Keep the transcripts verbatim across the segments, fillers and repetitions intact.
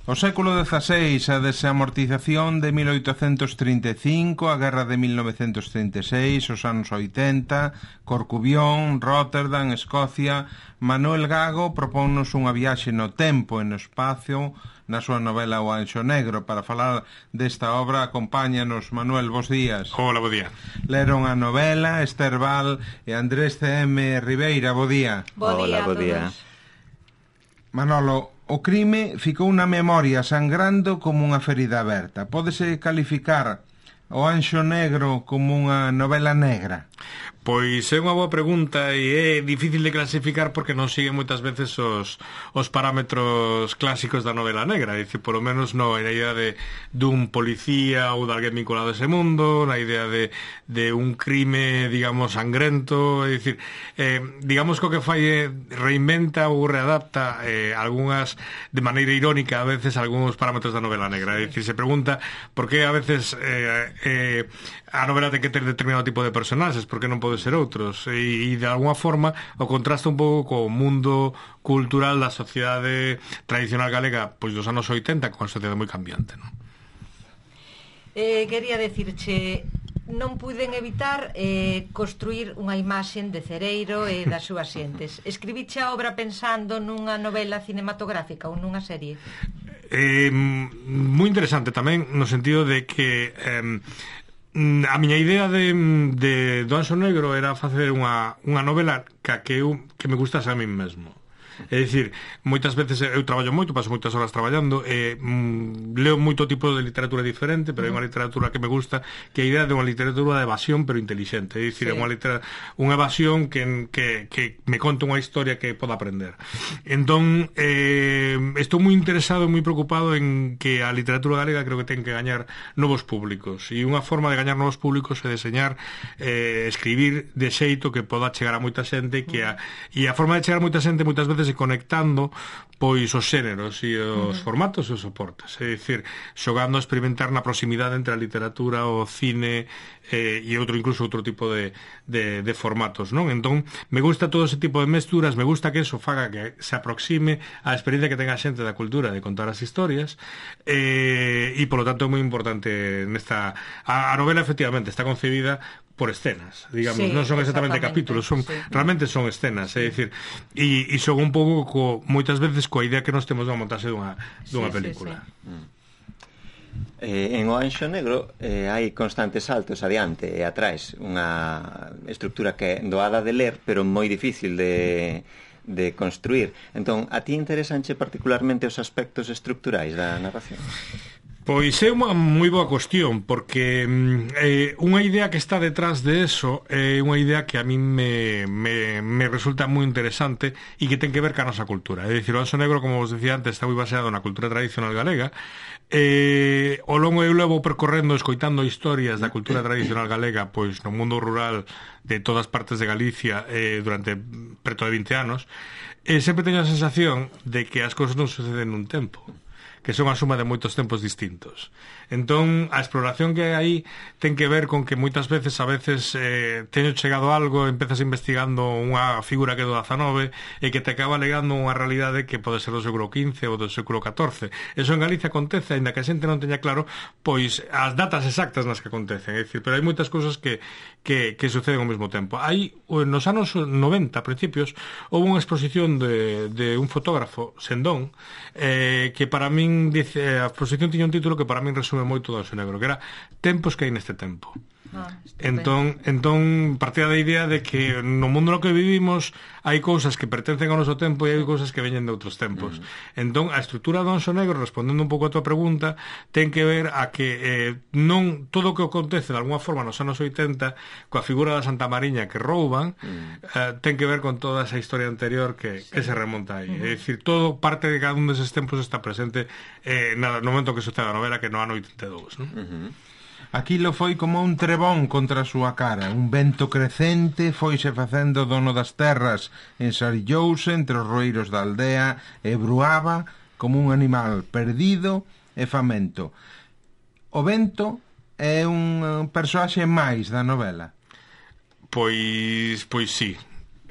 O século dezaseis, a desamortización de mil oitocentos trinta e cinco, a guerra de mil novecentos trinta e seis, os anos oitenta, Corcubión, Rotterdam, Escocia. Manuel Gago propónnos unha viaxe no tempo e no espacio na súa novela O Anxo Negro. Para falar desta obra, acompáñanos Manuel, bos días. Hola, bo día. Leron a novela Esther Val e Andrés C M Ribeira, bo día. Bo día. Hola, bo día. Manolo, o crime ficou na memoria sangrando como unha ferida aberta. Pódese calificar O Anxo Negro como unha novela negra? Pois é unha boa pregunta e é difícil de clasificar porque non sigue moitas veces os, os parámetros clásicos da novela negra. É dicir, polo menos non na idea de dun policía ou de alguén vinculado a ese mundo, na idea de, de un crime, digamos, sangrento. É dicir, eh, digamos que o que fai é reinventa ou readapta eh, algunhas, de maneira irónica a veces, algúns parámetros da novela negra. É dicir, se pregunta por que a veces eh, eh, a novela ten que ter determinado tipo de personaxes, por que non pode ser outros, e, e de alguna forma o contrasta un pouco co mundo cultural da sociedade tradicional galega pois dos anos oitenta, con unha sociedade moi cambiante, non? Eh, quería decirche, non puiden evitar eh, construir unha imaxen de Cereiro e das súas xentes. Escribiche a obra pensando nunha novela cinematográfica ou nunha serie? Eh, moi interesante tamén, no sentido de que eh, a miña idea de, de do Anxo Negro era facer unha, unha novela que, que, eu, que me gustase a mí mesmo. É dicir, moitas veces eu traballo moito, paso moitas horas traballando e mm, leo moito tipo de literatura diferente, pero é unha literatura que me gusta, que é a idea de unha literatura de evasión pero inteligente. É dicir, sí. é unha, litera, unha evasión que, que, que me conta unha historia que poda aprender. Entón, eh, estou moi interesado e moi preocupado en que a literatura galega creo que ten que gañar novos públicos, e unha forma de gañar novos públicos é deseñar, eh, escribir de xeito que poda chegar a moita xente, que a, e a forma de chegar a moita xente moitas veces e conectando pois os xéneros e os uh-huh. formatos e os soportes, é dicir, xogando a experimentar na proximidade entre a literatura, o cine eh, e outro, incluso outro tipo de, de, de formatos, non? Entón, me gusta todo ese tipo de mesturas, me gusta que eso faga que se aproxime á experiencia que tenga a xente da cultura de contar as historias, eh, e polo tanto é moi importante nesta... A, a novela efectivamente está concebida por escenas, digamos, sí, non son exactamente, exactamente capítulos, son sí. realmente son escenas, é dicir, e, e son un pouco co, moitas veces coa idea que nós temos de montarse dunha, dunha sí, película. Sí, sí. Mm. Eh, en O Anxo Negro eh, hai constantes saltos adiante e atrás, unha estructura que é doada de ler, pero moi difícil de de construir. Entón, a ti interesanche particularmente os aspectos estructurais da narración? Pois é unha moi boa cuestión, porque eh, unha idea que está detrás de eso é unha idea que a mí me, me, me resulta moi interesante e que ten que ver ca nosa cultura. É dicir, o Anxo Negro, como vos decía antes, está moi baseado na cultura tradicional galega. Eh, o longo eu levo percorrendo, escoitando historias da cultura tradicional galega pois no mundo rural de todas partes de Galicia eh, durante preto de vinte anos, e sempre teño a sensación de que as cousas non suceden nun tempo, que son a suma de moitos tempos distintos. Entón, a exploración que hai aí ten que ver con que moitas veces a veces eh, teño chegado algo, empezas investigando unha figura que é do dezanove e que te acaba legando unha realidade que pode ser do século quince ou do século catorce. Eso en Galicia acontece, ainda que a xente non teña claro pois as datas exactas nas que acontecen, é dicir, pero hai moitas cousas que, que, que suceden ao mesmo tempo. Hai, nos anos noventa, a principios, houve unha exposición de, de un fotógrafo, Sendón, eh, que para min dice, a exposición tiña un título que para min resume moito do Anxo Negro, que era Tempos que hai neste tempo. Ah, entón, entón partía da idea de que no mundo no que vivimos hai cousas que pertencen ao noso tempo e hai cousas que veñen de outros tempos. Mm. Entón, a estrutura do Anxo Negro, respondendo un pouco a tua pregunta, ten que ver a que eh, non todo o que acontece de alguna forma nos anos oitenta coa figura da Santa Mariña que rouban, mm. eh, ten que ver con toda esa historia anterior que, sí. que se remonta aí. Mm-hmm. É dicir, todo parte de cada un deses tempos está presente eh, no momento que sucede a novela, que no ano oitenta e dous, non? Mm-hmm. Aquilo foi como un trebón contra a súa cara. Un vento crecente foise facendo dono das terras, ensarillouse entre os roeiros da aldea e bruaba como un animal perdido e famento. O vento é un personaxe máis da novela? Pois, pois sí.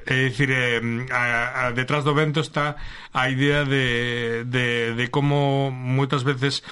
É dicir, eh, a, a, detrás do vento está a idea de, de, de como moitas veces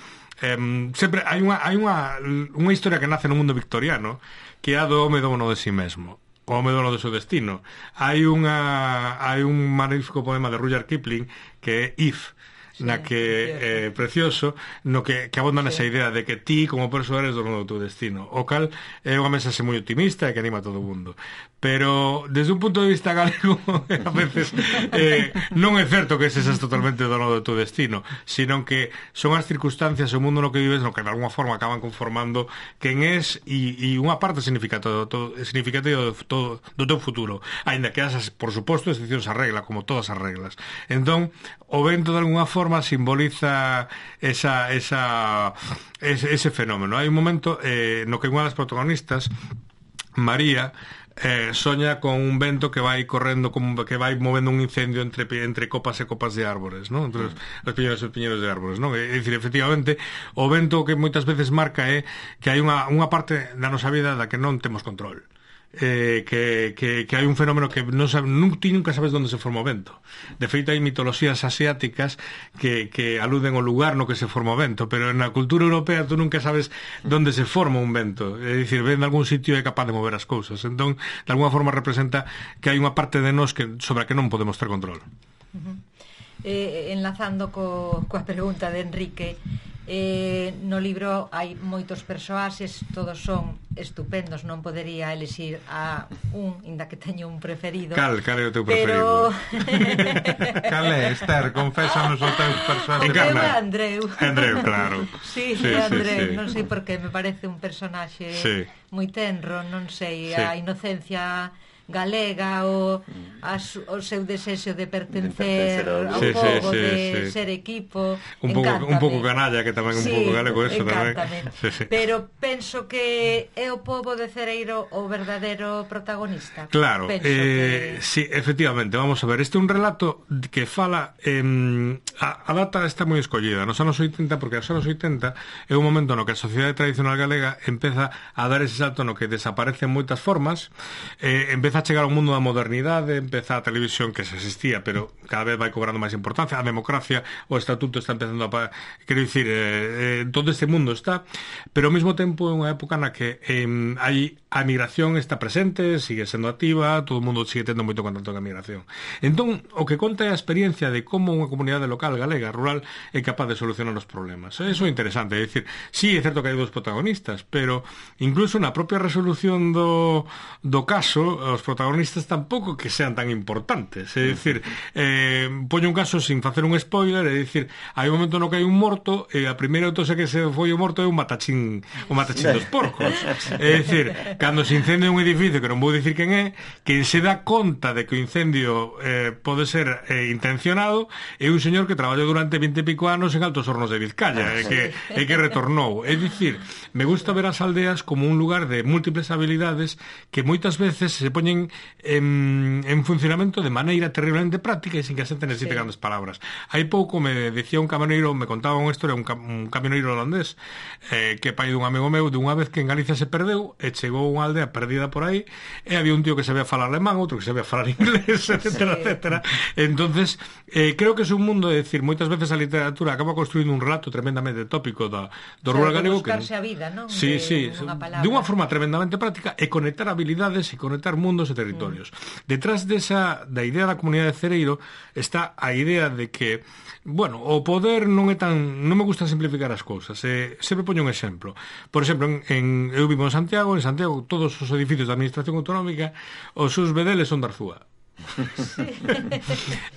eh, sempre hai unha, hai unha, unha historia que nace no mundo victoriano, que é a do home dono de si mesmo, o home dono de seu destino. Hai unha hai un magnífico poema de Rudyard Kipling que é If, na que é eh, precioso, no que, que abonda nesa idea de que ti como persoa eres dono do teu destino, o cal é unha mensaxe moi optimista e que anima a todo o mundo. Pero desde un punto de vista galego a veces eh, non é certo que ese seas totalmente dono do teu destino, sino que son as circunstancias, o mundo no que vives, no que de alguma forma acaban conformando quen és e, e unha parte significativa do, significativa do, do, do teu futuro, aínda que esas, por suposto, excepcións a regla, como todas as reglas. Entón, o vento de alguna forma simboliza esa, esa, ese, ese fenómeno. Hai un momento eh, no que unha das protagonistas, María, eh, soña con un vento que vai correndo, como que vai movendo un incendio entre, entre copas e copas de árbores, ¿no? Entre os, os piñeiros e os piñeiros de árbores, ¿no? É dicir, efectivamente, o vento que moitas veces marca é que hai unha, unha parte da nosa vida da que non temos control. Eh, que, que, que hai un fenómeno que non sabe, nunca, nunca sabes onde se forma o vento. De feito, hai mitoloxías asiáticas que, que aluden ao lugar no que se forma o vento, pero na cultura europea tú nunca sabes onde se forma un vento. É dicir, ven de algún sitio e é capaz de mover as cousas. Entón, de alguna forma representa que hai unha parte de nós que, sobre a que non podemos ter control. Uh-huh. eh, Enlazando co, coa pregunta de Enrique, Eh, no libro hai moitos persoaxes, todos son estupendos, non podería elixir a un, inda que teño un preferido. Cal, cal é o teu preferido? Pero... Cal é, Esther? Confésanos o teu personaxe. Encarna. É Andreu. Andreu, claro. Sí, sí, Andreu, sí, sí. Non sei por que, me parece un personaxe sí. moi tenro, non sei, sí. A inocencia galega, o, as, o seu desexo de pertencer, de pertencer ao sí, povo, sí, sí, de sí. ser equipo, un pouco, un pouco canalla, que tamén sí, un pouco galego eso tamén. Sí, sí. Pero penso que é o povo de Cereiro o verdadeiro protagonista. Claro, eh, que... sí, efectivamente, vamos a ver, este é un relato que fala eh, a, a data está moi escollida nos anos oitenta, porque nos anos oitenta é un momento no que a sociedade tradicional galega empeza a dar ese salto no que desaparecen moitas formas, eh, empeza a chegar ao mundo da modernidade, empeza a televisión que se existía, pero cada vez vai cobrando máis importancia, a democracia, o estatuto está empezando a... Quero dicir, eh, eh, todo este mundo está, pero ao mesmo tempo é unha época na que eh, hai a migración está presente, sigue sendo activa, todo o mundo sigue tendo moito contacto con a migración. Entón, o que conta é a experiencia de como unha comunidade local, galega, rural, é capaz de solucionar os problemas. Eso é interesante, é dicir, sí, é certo que hai dos protagonistas, pero incluso na propia resolución do, do caso, os protagonistas tampouco que sean tan importantes, é dicir, eh, poño un caso sin facer un spoiler, é dicir, hai un momento no que hai un morto e a primeira autopsia que se foi o morto é un matachín, un matachín dos porcos, é dicir, cando se incendia un edificio, que non vou dicir quen é, quen se dá conta de que o incendio eh, pode ser eh, intencionado é un señor que traballou durante vinte e pico anos en Altos Hornos de Vizcaya e que, e que retornou, é dicir, me gusta ver as aldeas como un lugar de múltiples habilidades que moitas veces se poñen En, en funcionamento de maneira terriblemente práctica e sin que a xente necesite sí. grandes palabras. Hai pouco me decía un camioneiro, me contaba unha historia, un, un camioneiro holandés eh, que é pai dun amigo meu, dunha vez que en Galicia se perdeu e chegou a unha aldea perdida por aí e había un tío que sabía falar alemán, outro que sabía falar inglés, etcétera, sí. etcétera. Entonces, eh, creo que é un mundo, é dicir, moitas veces a literatura acaba construindo un relato tremendamente tópico da, do o sea, rural galego que buscarse a vida, non? Sí, de, sí, de unha forma tremendamente práctica e conectar habilidades e conectar mundos e territorios. Mm. Detrás desa, da idea da comunidade de Cereiro está a idea de que, bueno, o poder non é tan... Non me gusta simplificar as cousas. Eh, sempre poño un exemplo. Por exemplo, en, en, eu vivo en Santiago, en Santiago todos os edificios da administración autonómica, os seus bedeles son de Arzúa.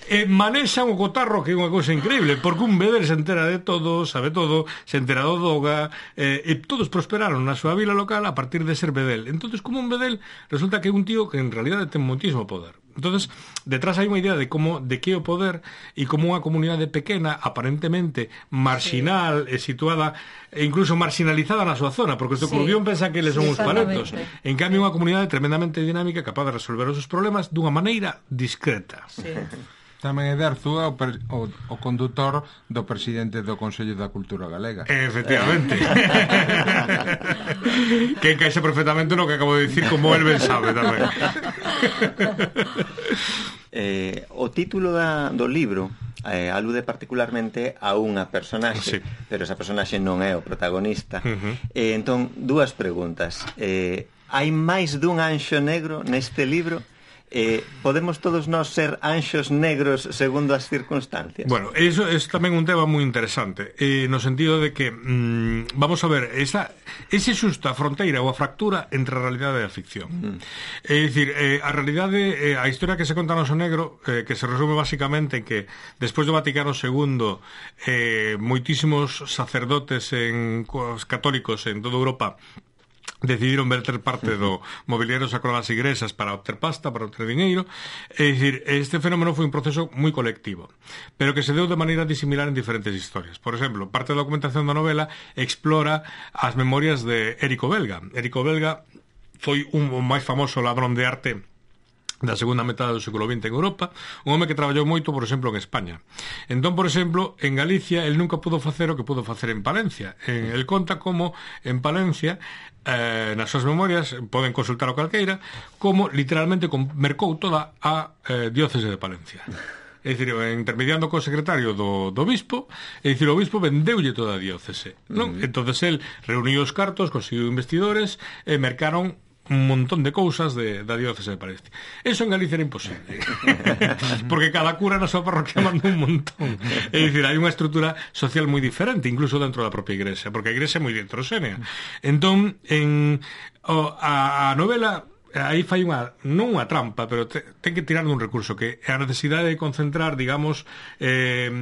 e manexan o cotarro, que é unha cousa increíble, porque un bedel se entera de todo, sabe todo, se entera do doga, eh, e todos prosperaron na súa vila local a partir de ser bedel. Entonces, como un bedel, resulta que é un tío que en realidade ten moitísimo poder. Entonces, detrás hai unha idea de como de que é o poder e como unha comunidade pequena, aparentemente marginal, sí. e situada e incluso marginalizada na súa zona, porque o sí. Curbión pensa que eles son sí, uns paletos. En cambio, unha comunidade tremendamente dinámica, capaz de resolver os seus problemas dunha maneira discreta. Sí. Tamén é de Arzúa o, per, o, o condutor do presidente do Consello da Cultura Galega. Efectivamente. Que encaixa perfectamente no que acabo de dicir, como el ben sabe tamén. eh, o título da, do libro eh, alude particularmente a unha personaxe, sí, pero esa personaxe non é o protagonista. Uh-huh. eh, entón, dúas preguntas. Eh, hai máis dun anxo negro neste libro? Eh, podemos todos nós ser anxos negros segundo as circunstancias? Bueno, eso é tamén un tema moi interesante, eh, no sentido de que mm, vamos a ver, esa, ese xusto a fronteira ou a fractura entre a realidade e a ficción. Mm. É dicir, eh, a realidade, eh, a historia que se conta no Anxo Negro, eh, que se resume basicamente en que despois do Vaticano segundo, eh, moitísimos sacerdotes en, católicos en toda Europa decidiron verter parte do mobiliario sacro das igrexas para obter pasta, para obter diñeiro. É dicir, este fenómeno foi un proceso moi colectivo, pero que se deu de maneira disimilar en diferentes historias. Por exemplo, parte da documentación da novela explora as memorias de Érico Belga. Érico Belga foi un máis famoso ladrón de arte da segunda metade do século vinte en Europa, un home que traballou moito, por exemplo, en España. Entón, por exemplo, en Galicia el nunca pudo facer o que pudo facer en Palencia. En, el conta como en Palencia, eh, nas súas memorias, poden consultar o calqueira, como literalmente mercou toda a eh, diócese de Palencia. É dicir, intermediando co secretario do, do bispo, é dicir, o bispo vendeulle toda a diócese, non? Uh-huh. Entonces el reuniu os cartos, conseguiu investidores e mercaron un montón de cousas de, da diócese de Palencia. Eso en Galicia era imposible. Porque cada cura na súa parroquia manda un montón. É dicir, hai unha estrutura social moi diferente, incluso dentro da propia igrexa, porque a igrexa é moi heterogénea. Entón, en o, a, a novela aí fai unha, non unha trampa, pero te, ten que tirar dun recurso que é a necesidade de concentrar, digamos, eh,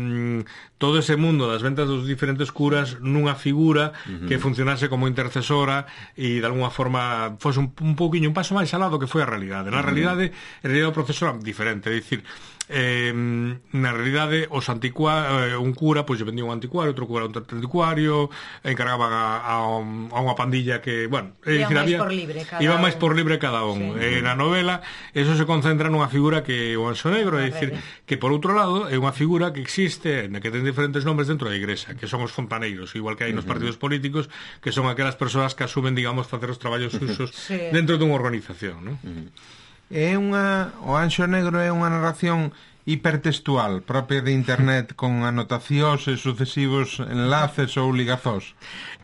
todo ese mundo das ventas dos diferentes curas nunha figura uh-huh. que funcionase como intercesora e de alguna forma fose un, un pouquiño un paso máis alado que foi a realidade. Na uh-huh. realidade, en realidade o proceso era diferente, é dicir, eh, na realidade os anticuarios, eh, un cura pois lle vendía un anticuario, outro cura un anticuario, encargaban a, a, a unha pandilla que, bueno, é dicir, había, por libre cada iba máis por libre cada un. Sí. Eh, na novela eso se concentra nunha figura que o Anxo Negro, é dicir, que por outro lado é unha figura que existe, na que ten diferentes nombres dentro da igrexa, que son os fontaneiros, igual que hai nos partidos políticos, que son aquelas persoas que asumen, digamos, facer os traballos usos sí. dentro dunha organización, non? É unha, o Anxo Negro é unha narración hipertextual propia de internet con anotacións e sucesivos enlaces ou ligazós.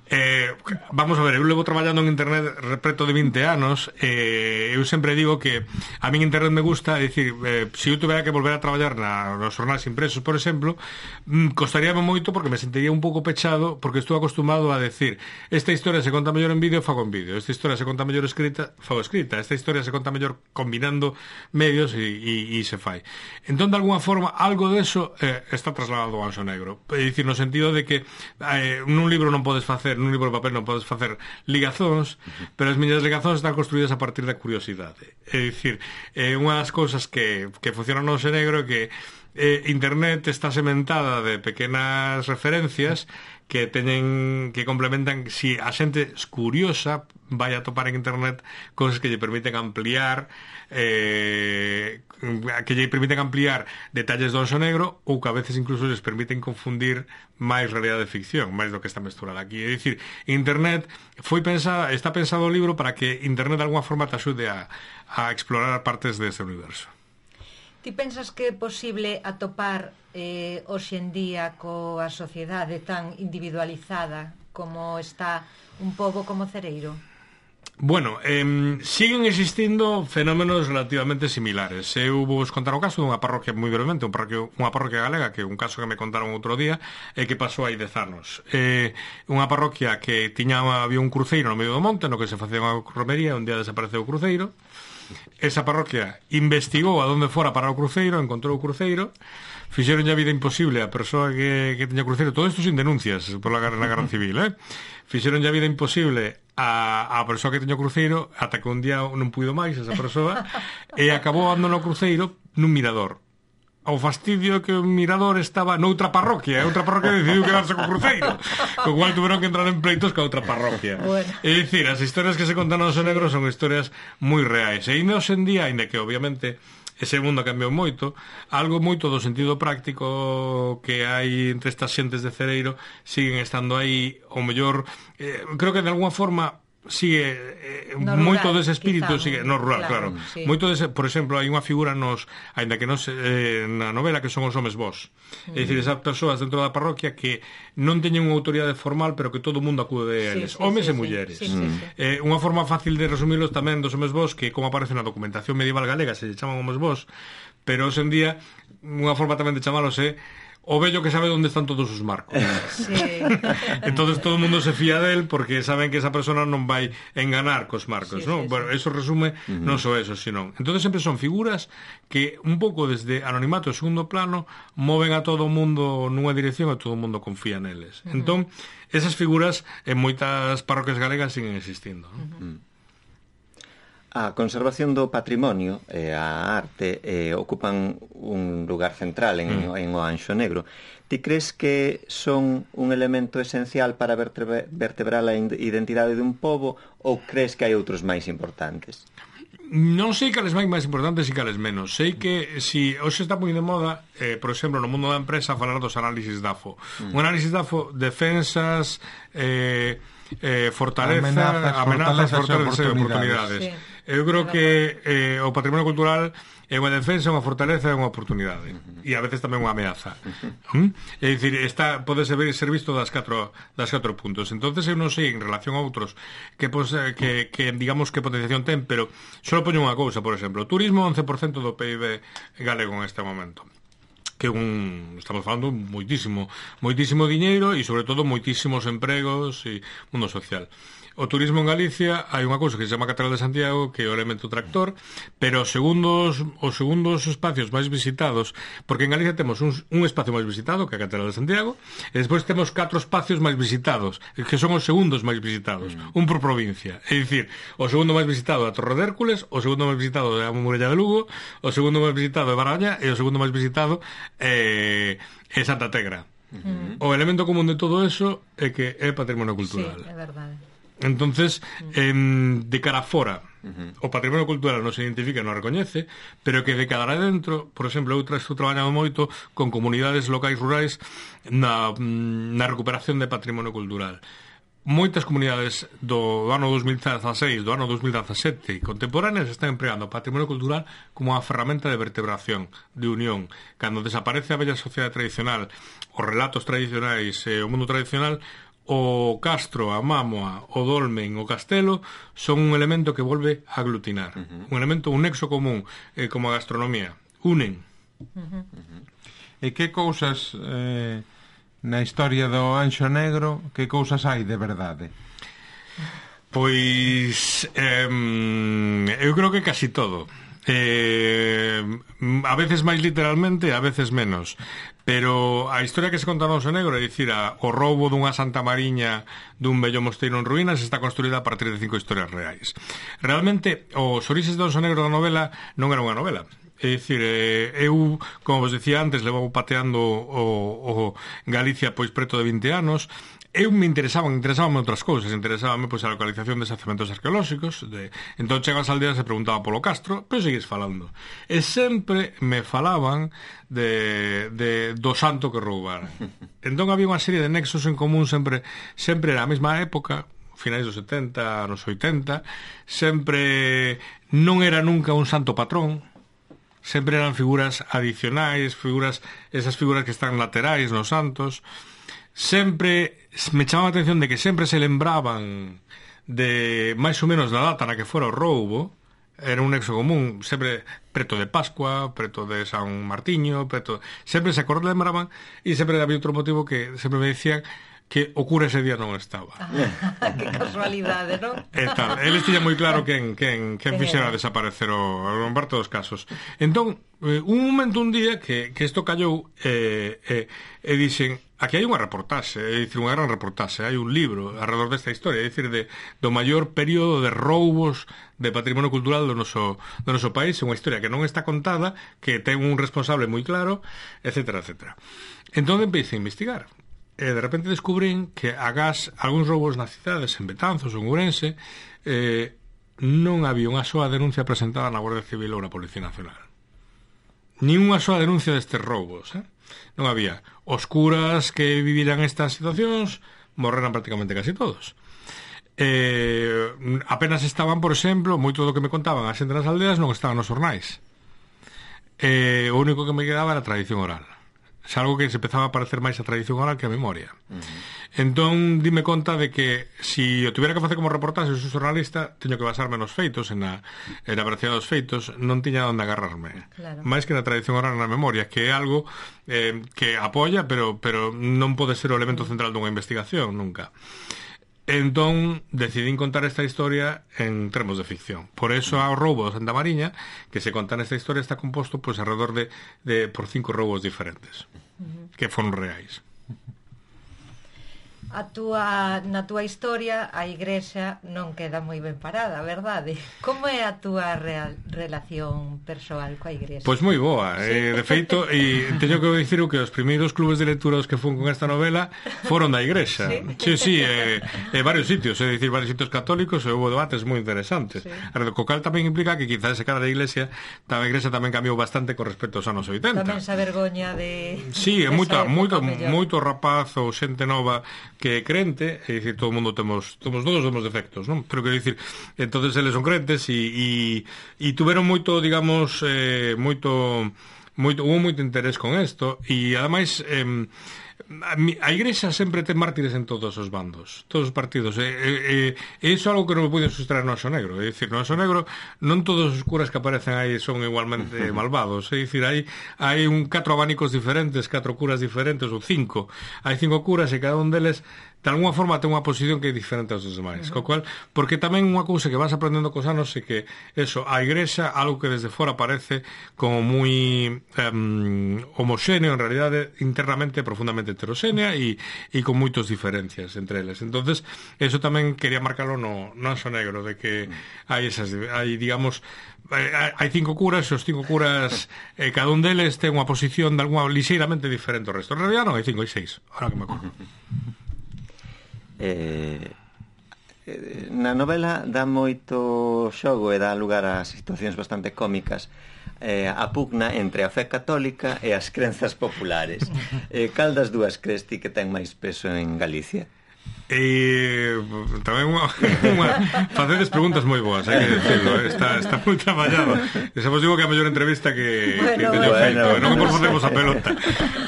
Eh, vamos a ver, eu levo traballando en internet preto de vinte anos, eh, eu sempre digo que a min internet me gusta, é dicir, eh, se eu tuvera que volver a traballar na, nos jornais impresos, por exemplo, mm, costaríame moito porque me sentiría un pouco pechado, porque estou acostumado a decir, esta historia se conta mellor en vídeo, fago en vídeo, esta historia se conta mellor escrita, fago escrita, esta historia se conta mellor combinando medios e, e, e se fai. Entón, de alguna forma, algo de eso eh, está trasladado ao Anxo Negro, é dicir, no sentido de que eh, nun libro non podes facer nun libro de papel non podes facer ligazóns, uh-huh. pero as miñas ligazóns están construídas a partir da curiosidade. É dicir, é unha das cousas que, que funcionan no Anxo Negro é que eh, internet está sementada de pequenas referencias que teñen que complementan, si a xente curiosa vai a topar en internet cosas que lle permiten ampliar eh, que lle permiten ampliar detalles do Anxo Negro ou que a veces incluso les permiten confundir máis realidade de ficción, máis do que está mesturada aquí. É dicir, internet foi pensada, está pensado o libro para que internet de alguna forma te axude a, a explorar partes deste universo. Ti pensas que é posible atopar eh, hoxe en día coa sociedade tan individualizada como está un pobo como Cereiro? Bueno, eh, siguen existindo fenómenos relativamente similares. Eu vou vos contar o caso dunha parroquia moi brevemente, un parroquia, unha parroquia galega, que é un caso que me contaron outro día e que pasou hai dez anos. Eh, unha parroquia que tiña, había un cruceiro no medio do monte no que se facía unha romería, un día desapareceu o cruceiro. Esa parroquia investigou a donde fora para o cruceiro, encontrou o cruceiro, fixeron a vida imposible a persoa que, que tiña cruceiro, todo isto sin denuncias por la, na Guerra Civil, eh? Fixeron a vida imposible a, a persoa que tiña o cruceiro ata que un día non puido máis esa persoa e acabou abandonou o cruceiro nun mirador. O fastidio que o mirador estaba noutra parroquia, e outra parroquia decidiu quedarse co cruceiro, co cual tuveron que entrar en pleitos ca outra parroquia. Bueno. É dicir, as historias que se contan no Anxo Negro son historias moi reais, e ainda hoxe en día, ainda que obviamente ese mundo cambiou moito, algo moito do sentido práctico que hai entre estas xentes de Cereiro siguen estando aí, ao mellor, eh, creo que de alguna forma sigue eh, no moito rural, dese espírito quizá, sigue no rural, claro, claro. Sí. Moito dese, por exemplo, hai unha figura nos, aínda que non se, eh, na novela que son os homes vós. Mm. É dicir, esas persoas dentro da parroquia que non teñen unha autoridade formal, pero que todo o mundo acude a eles, sí, sí, homes sí, e mulleres. Sí, sí, mm. sí. Eh, unha forma fácil de resumirlos tamén dos homes vós, que como aparece na documentación medieval galega se chaman homes vós, pero hoxe en día unha forma tamén de chamalos é o vello que sabe onde están todos os marcos. Sí. Entonces todo o mundo se fía del porque saben que esa persona non vai enganar cos marcos, sí, ¿no? Sí, bueno, sí. Eso resume uh-huh. non só eso, sino. Entonces sempre son figuras que un pouco desde anonimato e segundo plano moven a todo o mundo nunha dirección e todo o mundo confía neles. Uh-huh. Entón, esas figuras en moitas parroquias galegas siguen existindo, ¿no? Uh-huh. A conservación do patrimonio e a arte eh, ocupan un lugar central en, mm. en o Anxo Negro. Ti crees que son un elemento esencial para vertebra, vertebrar a identidade dun pobo ou crees que hai outros máis importantes? Non sei cales máis máis importantes e cales menos. Sei que si hoxe está moi de moda, eh, por exemplo, no mundo da empresa falar dos análisis D A F O. Mm. Un análisis D A F O, defensas, eh, eh, fortaleza, amenazas, amenazas fortalezas e oportunidades. Sí. Eu creo que eh, o patrimonio cultural é unha defensa, unha fortaleza e unha oportunidade. Uh-huh. E a veces tamén unha ameaza. Uh-huh. ¿Mm? É dicir, está, pode ser, ser visto das catro, das catro puntos. Entonces eu non sei en relación a outros que, pues, que, que digamos que potenciación ten, pero só poño unha cousa, por exemplo, turismo once por cento do P I B galego en este momento, que un, estamos falando moitísimo moitísimo diñeiro e sobre todo moitísimos empregos e mundo social. O turismo en Galicia hai unha cousa que se chama Catedral de Santiago, que é o elemento tractor, pero os segundos, os segundos espacios máis visitados, porque en Galicia temos un, un espacio máis visitado, que é a Catedral de Santiago, e despois temos catro espacios máis visitados, que son os segundos máis visitados, un por provincia. É dicir, o segundo máis visitado é a Torre de Hércules, o segundo máis visitado é a Muralla de Lugo, o segundo máis visitado é Baraña e o segundo máis visitado é, é Santa Tegra. Uh-huh. O elemento común de todo eso é que é patrimonio cultural. Sí, é verdade. Entonces, eh, de cara fora, uh-huh. o patrimonio cultural non se identifica, non recoñece, pero que de cara adentro, por exemplo, eu estou traballando moito con comunidades locais rurais na, na recuperación de patrimonio cultural. Moitas comunidades do ano dos mil dezaseis, do ano dos mil dezasete contemporáneas están empregando o patrimonio cultural como unha ferramenta de vertebración, de unión. Cando desaparece a bella sociedade tradicional, os relatos tradicionais e o mundo tradicional, o castro, a mámoa, o dolmen, o castelo son un elemento que volve a aglutinar. Uh-huh. Un elemento, un nexo común, eh, como a gastronomía. Unen. Uh-huh. Uh-huh. E que cousas eh, na historia do Anxo Negro, que cousas hai de verdade? Pois eh, eu creo que casi todo. Eh, a veces máis literalmente, a veces menos. Pero a historia que se conta no Anxo Negro, é dicir, a, o roubo dunha Santa Mariña dun bello mosteiro en ruínas está construída a partir de cinco historias reais. Realmente, os orixes do Anxo Negro da novela non era unha novela. É dicir, eh, eu, como vos decía antes, levo pateando o, o Galicia pois preto de vinte anos. Eu me interesaban, interesaban outras cousas, interesábame pois a localización de xacementos arqueolóxicos, de, entón chego ás aldeas e preguntaba polo castro, pero seguís falando. E sempre me falaban de, de do santo que roubara. Entón había unha serie de nexos en común, sempre sempre era a mesma época, finais dos setenta, anos oitenta, sempre non era nunca un santo patrón, sempre eran figuras adicionais, figuras, esas figuras que están laterais nos santos. Sempre me chamaba a atención de que sempre se lembraban de máis ou menos da data na que fora o roubo. Era un nexo común, sempre preto de Pascua, preto de San Martiño, preto, sempre se lembraban, e sempre había outro motivo que sempre me decían que o cura ese día non estaba. Ah, que casualidade, non? E tal, eles tiñan moi claro quen, quen, quen fixera desaparecer o, o parte dos casos. Entón, eh, un momento, un día, que, que isto callou, e eh, eh, eh, dixen, aquí hai unha reportaxe, é dicir, unha gran reportaxe, hai un libro alrededor desta historia, é dicir, de, do maior período de roubos de patrimonio cultural do noso, do noso país, unha historia que non está contada, que ten un responsable moi claro, etcétera, etcétera. Entón empecé a investigar. E de repente descubrín que agás algúns roubos nas cidades, en Betanzos ou en Ourense, eh, non había unha soa denuncia presentada na Guardia Civil ou na Policía Nacional. nin unha soa denuncia destes roubos, eh? Non había. Os curas que viviran estas situacións morreran prácticamente casi todos. Eh, apenas estaban, por exemplo, moito do que me contaban a xente nas aldeas non estaban nos xornais. Eh, o único que me quedaba era a tradición oral. É algo que se empezaba a parecer máis a tradición oral que a memoria. Uh-huh. Entón, dime conta de que si o tuviera que facer como reportaxe sou xornalista, teño que basarme nos feitos, en a, en a veracidade dos feitos, non tiña onde agarrarme. Claro. Máis que na tradición oral na memoria, que é algo eh, que apoia, pero, pero non pode ser o elemento central dunha investigación, nunca. Entón, decidín contar esta historia en termos de ficción. Por eso, o roubo de Santa Mariña, que se conta nesta historia, está composto pois, alrededor de, de por cinco roubos diferentes, uh-huh. que foron reais. A túa, na túa historia a igrexa non queda moi ben parada, verdade? Como é a túa real, relación persoal coa igrexa? Pois moi boa, sí. eh, de feito, e teño que dicir que os primeiros clubes de lectura que fun con esta novela foron da igrexa. Sí, sí, sí eh, eh, varios sitios, é dicir, varios sitios católicos, e houve debates moi interesantes. Sí. Co cal tamén implica que quizás se cada da iglesia, a igrexa tamén cambiou bastante con respecto aos anos oitenta. Tamén esa vergoña de... Sí, é moito, moito, moito rapaz ou xente nova que é crente, é dicir, todo o mundo temos, temos todos temos defectos, non? Pero quero dicir, entonces eles son crentes e e, e tuveron moito, digamos, eh, moito moito hubo moito interés con isto e ademais eh, a igrexa sempre ten mártires en todos os bandos, todos os partidos, e, e, e iso é algo que non me puiden sustraer no Anxo Negro. É dicir, no Anxo Negro non todos os curas que aparecen aí son igualmente malvados, é dicir, hai, hai un catro abanicos diferentes, catro curas diferentes, ou cinco, hai cinco curas e cada un deles de alguna forma ten unha posición que é diferente aos demais, uh-huh. co cual, porque tamén unha cousa que vas aprendendo cos anos é que eso, a igrexa, algo que desde fora parece como moi um, homoxéneo, en realidade internamente profundamente heteroxénea e, e con moitas diferencias entre eles. Entonces, eso tamén quería marcarlo no, no Anxo Negro, de que hai esas, hai, digamos, hai cinco curas e os cinco curas eh, cada un deles ten unha posición de alguna lixeiramente diferente ao resto. En realidad non, hai cinco, hai seis, ahora que me acordo. Eh, na novela dá moito xogo e dá lugar a situacións bastante cómicas, eh, a pugna entre a fe católica e as crenzas populares. Eh, cal das dúas crees ti que ten máis peso en Galicia? E tamén unha, unha facedes preguntas moi boas, hai que decirlo, está, está moi traballado. E se vos digo que a mellor entrevista que, bueno, que teño bueno, feito, bueno, non que por facemos a pelota,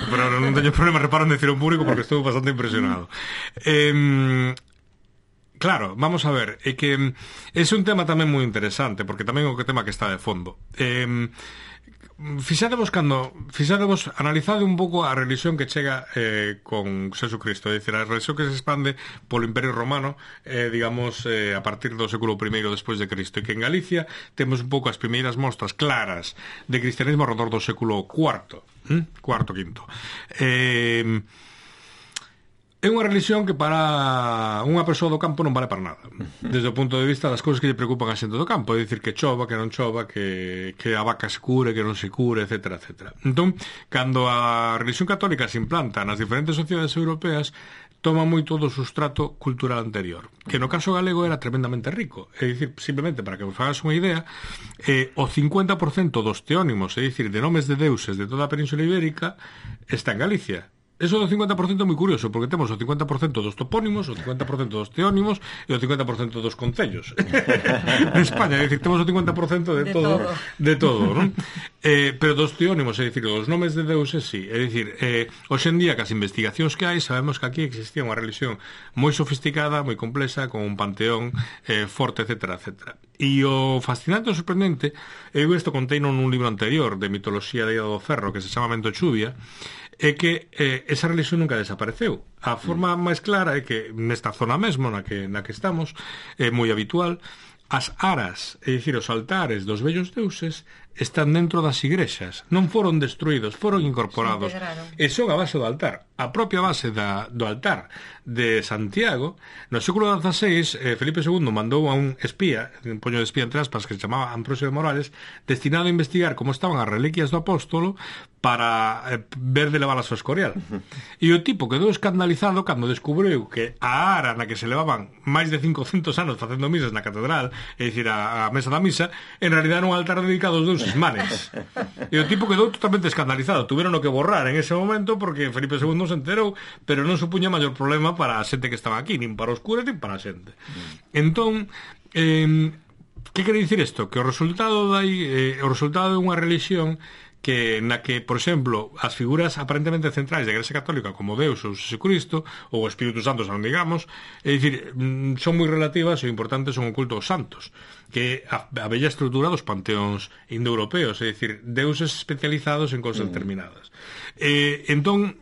pero non teño problema, reparo en decir un público porque estou bastante impresionado. Eh, claro, vamos a ver, é que é un tema tamén moi interesante, porque tamén é un tema que está de fondo. Eh, Fixadevos cando fixadevos analizade un pouco a religión que chega eh, con Jesucristo, é dicir, a religión que se expande polo Imperio Romano, eh, digamos, eh, a partir do século primeiro despois de Cristo, e que en Galicia temos un pouco as primeiras mostras claras de cristianismo alrededor do século cuarto, ¿eh? cuarto, quinto. Eh, É unha religión que para unha persoa do campo non vale para nada, desde o punto de vista das cousas que lle preocupan a xente do campo, é dicir, que chova, que non chova, que, que a vaca se cure, que non se cure, etcétera, etcétera. Entón, cando a religión católica se implanta nas diferentes sociedades europeas, toma moito do sustrato cultural anterior, que no caso galego era tremendamente rico. É dicir, simplemente para que vos fagas unha idea, eh, o cincuenta por cento dos teónimos, é dicir, de nomes de deuses de toda a Península Ibérica, está en Galicia. Eso do cincuenta por cento é moi curioso, porque temos o cincuenta por cento dos topónimos, o cincuenta por cento dos teónimos e o cincuenta por cento dos concellos. En España, é dicir, temos o cincuenta por cento de, de todo, todo, de todo, non? Eh, pero dos teónimos, é dicir, dos nomes de deuses, sí. É dicir, eh, hoxe en día, que as investigacións que hai, sabemos que aquí existía unha religión moi sofisticada, moi complexa, con un panteón eh, forte, etcétera, etcétera. E o fascinante e sorprendente, eu isto contei nun libro anterior de mitoloxía de Ida do Ferro, que se chama Mento Chuvia, é que eh, esa religión nunca desapareceu. A forma máis clara é que nesta zona mesmo na que, na que estamos, é moi habitual, as aras, é dicir, os altares dos vellos deuses están dentro das igrexas, non foron destruídos, foron incorporados, e son a base do altar. A propia base da, do altar de Santiago, no século dieciséis, eh, Felipe segundo mandou a un espía, un poño de espía entre aspas, que se chamaba Ambrosio de Morales, destinado a investigar como estaban as reliquias do apóstolo para eh, ver de levar a súa escorial. E o tipo quedou escandalizado cando descubriu que a ara na que se levaban máis de cincocentos anos facendo misas na catedral, é dicir, a, a mesa da misa, en realidad era un altar dedicado aos deuses deuses manes. E o tipo quedou totalmente escandalizado. Tuveron que borrar en ese momento porque Felipe segundo se enterou, pero non supuña maior problema para a xente que estaba aquí, nin para os curas, nin para a xente. Entón, eh, que quere dicir isto? Que o resultado dai, eh, o resultado de unha religión que na que, por exemplo, as figuras aparentemente centrais da Igrexa Católica como Deus ou Jesucristo ou o Espírito Santo, non digamos, é dicir, son moi relativas e o importante son o culto aos santos, que a, a bella estrutura dos panteóns indoeuropeos, é dicir, deuses especializados en cousas mm. determinadas. Eh, entón,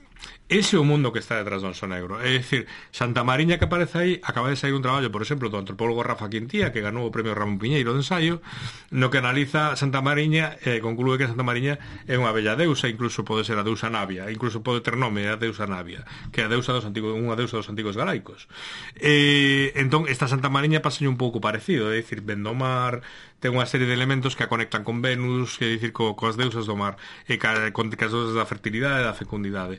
ese é o mundo que está detrás do Anxo Negro. É dicir, Santa Mariña que aparece aí, acaba de sair un traballo, por exemplo, do antropólogo Rafa Quintía, que ganou o premio Ramón Piñeiro de ensaio, no que analiza Santa Mariña e eh, conclúe que Santa Mariña é unha bella deusa, incluso pode ser a deusa Navia, incluso pode ter nome a deusa Navia, que é a deusa dos antigos, unha deusa dos antigos galaicos. Eh, entón, esta Santa Mariña pasa un pouco parecido, é dicir, ven do mar, ten unha serie de elementos que a conectan con Venus, que é dicir, co, coas deusas do mar, e ca, con as deusas da fertilidade e da fecundidade.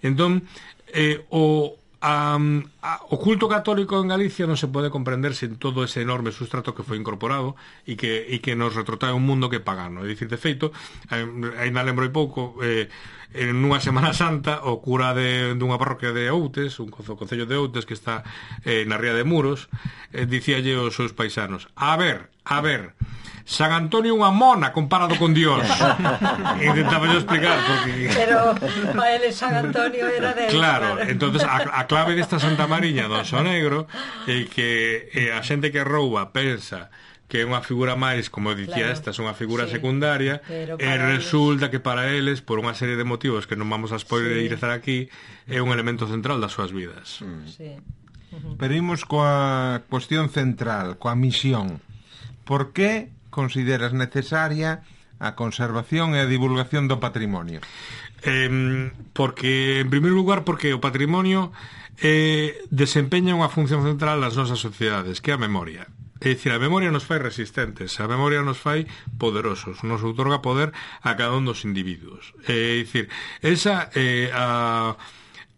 Entón, eh, o, a, a, o culto católico en Galicia non se pode comprender sen todo ese enorme sustrato que foi incorporado e que, e que nos retrotrae un mundo que é pagano. É dicir, de feito, eh, ainda lembro hai pouco, eh, en unha Semana Santa o cura de, dunha parroquia de Outes, un concello de Outes que está eh, na ría de Muros, eh, dicíalle aos seus paisanos: a ver, a ver, San Antonio unha mona comparado con Dios. Intentaba yo explicar porque... Pero para ele San Antonio era Deus. Claro, claro. Entonces a, a clave desta Santa Mariña do Anxo Negro é que eh, a xente que rouba pensa que é unha figura máis, como dicía, claro, esta é unha figura sí, secundaria, e resulta eles... que para eles, por unha serie de motivos que non vamos a spoilerizar sí, aquí, é un elemento central das súas vidas. Mm. Sí. Uh-huh. Pero imos coa cuestión central, coa misión. Por que consideras necesaria a conservación e a divulgación do patrimonio? Eh, porque, en primeiro lugar, porque o patrimonio eh, desempeña unha función central nas nosas sociedades, que é a memoria. É dicir, a memoria nos fai resistentes, a memoria nos fai poderosos, nos outorga poder a cada un dos individuos. É dicir, esa eh, a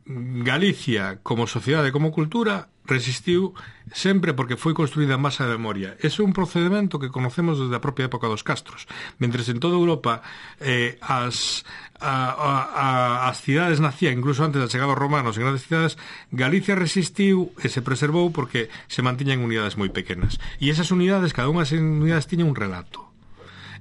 Galicia como sociedade, como cultura, resistiu sempre porque foi construída en masa de memoria. Ese é un procedimento que conocemos desde a propia época dos castros. Mentres en toda Europa eh, as, a, a, a, as cidades nacían, incluso antes da chegada dos romanos en grandes cidades, Galicia resistiu e se preservou porque se mantiñan unidades moi pequenas. E esas unidades, cada unha das unidades tiña un relato.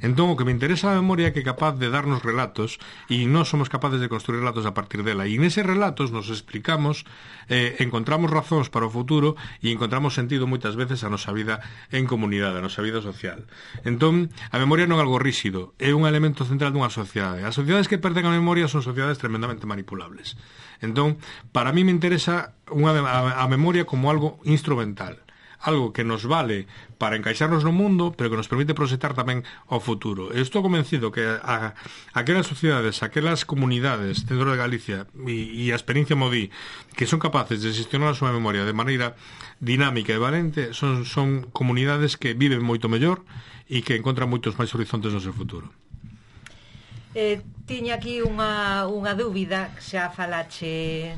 Entón, o que me interesa a memoria é que é capaz de darnos relatos e nós somos capaces de construir relatos a partir dela. E neses relatos nos explicamos, eh, encontramos razóns para o futuro e encontramos sentido moitas veces a nosa vida en comunidade, a nosa vida social. Entón, a memoria non é algo rígido, é un elemento central dunha sociedade. As sociedades que perden a memoria son sociedades tremendamente manipulables. Entón, para mí me interesa unha, a, a memoria como algo instrumental, algo que nos vale para encaixarnos no mundo, pero que nos permite proxectar tamén ao futuro. Eu estou convencido que a, a, aquelas sociedades, aquelas comunidades dentro de Galicia e, e a experiencia Modí, que son capaces de gestionar a súa memoria de maneira dinámica e valente, son, son comunidades que viven moito mellor e que encontran moitos máis horizontes no seu futuro. Eh, tiña aquí unha, unha dúbida que xa falache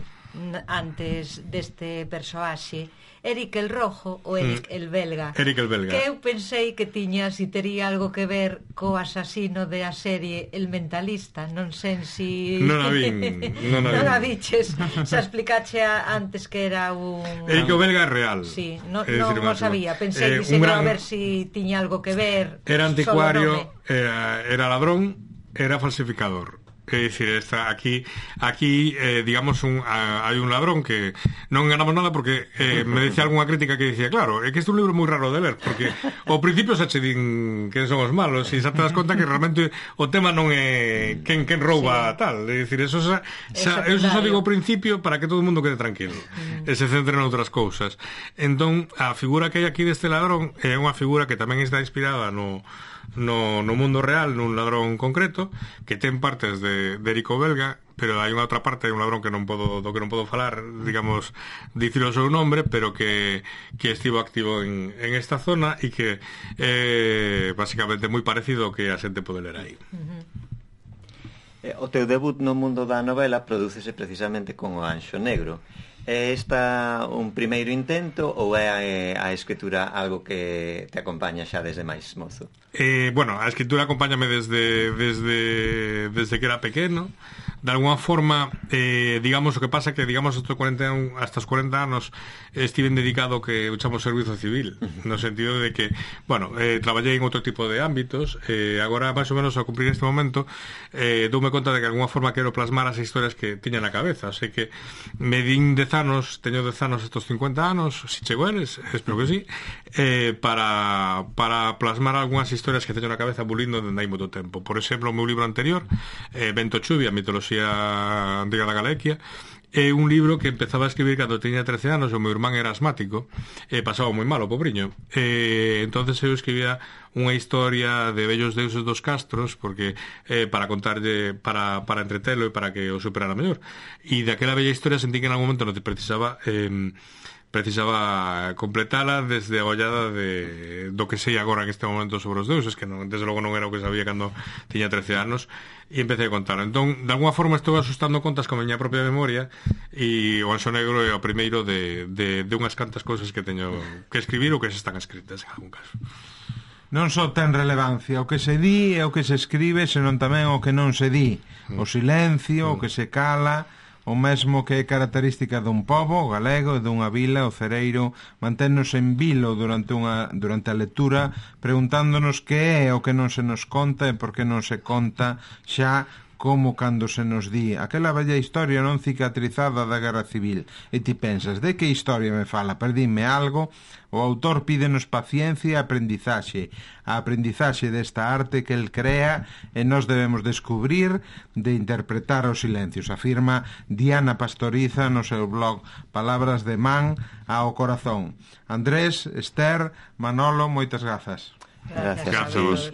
antes deste persoaxe, Eric el Rojo ou Eric mm. el Belga. Eric el Belga. Que eu pensei que tiña, si tería algo que ver co asasino de a serie El Mentalista, non sei si... Non a vin, non a, non a viches. Xa explicache antes que era un... Eric el Belga é real. Sí, no, non o sabía. Pensei eh, que gran... a ver si tiña algo que ver. Era anticuario, era, era ladrón, era falsificador. É dicir, está aquí, aquí eh, digamos, un, a, hai un ladrón que non ganamos nada porque eh, me decía algunha crítica que dicía, claro, é que este é un libro moi raro de ler, porque ao principio xa che din que son os malos e xa te das conta que realmente o tema non é quen, quen rouba sí, tal, é dicir, eso xa, xa, eso xa digo ao principio para que todo o mundo quede tranquilo mm. e se centre en outras cousas. Entón, a figura que hai aquí deste ladrón é unha figura que tamén está inspirada no No, no mundo real, nun ladrón concreto que ten partes de, de Eric o Belga, pero hai unha outra parte de un ladrón que non podo, do que non podo falar, digamos, dicir o seu nombre, pero que, que estivo activo en, en esta zona e que é eh, basicamente moi parecido ao que a xente pode ler aí. O teu debut no mundo da novela prodúcese precisamente con o Anxo Negro. É esta un primeiro intento ou é a, a escritura algo que te acompaña xa desde máis mozo? Eh, bueno, a escritura acompáñame desde, desde, desde que era pequeno. De alguna forma, eh, digamos, o que pasa que, digamos, hasta, cuarenta, hasta os cuarenta anos estiven dedicado que uchamos servizo civil, no sentido de que, bueno, eh, traballei en outro tipo de ámbitos, eh, agora, máis ou menos, ao cumprir este momento, eh, doume conta de que, de alguna forma, quero plasmar as historias que tiña na cabeza, así que me din dez anos, teño dez anos estos cincuenta anos, si chego eles, espero que sí, eh, para, para plasmar algunhas historias que teño na cabeza bulindo dende hai moito tempo. Por exemplo, o meu libro anterior, eh, Vento Chuvia, mitoloxía antiga da Galicia, é un libro que empezaba a escribir cando tiña trece anos, o meu irmán era asmático e pasaba moi mal o pobriño, e entonces eu escribía unha historia de vellos deuses dos castros porque eh, para contarlle, para, para entretelo e para que o superara mellor, e daquela bella historia sentí que en algún momento non te precisaba eh, precisaba completala desde a ollada de, do que sei agora en este momento sobre os deuses, que non, desde logo non era o que sabía cando tiña trece anos, e empecé a contar. Entón, de alguna forma estou asustando contas con a miña propia memoria, e o Anxo Negro é o primeiro de, de, de unhas cantas cousas que teño que escribir ou que se están escritas en algún caso. Non só ten relevancia o que se di e o que se escribe, senón tamén o que non se di, o silencio, o que se cala, o mesmo que é característica dun pobo, o galego, e dunha vila, o cereiro, manténnos en vilo durante, unha, durante a lectura, preguntándonos que é o que non se nos conta e por que non se conta xa como cando se nos di aquela bella historia non cicatrizada da Guerra Civil, e ti pensas, de que historia me fala? Perdíme algo? O autor pídenos paciencia e aprendizaxe, a aprendizaxe desta arte que el crea, e nós debemos descubrir de interpretar os silencios, afirma Diana Pastoriza no seu blog Palabras de Man ao Corazón. Andrés, Esther, Manolo, moitas grazas. Gracias, Gracias a vos.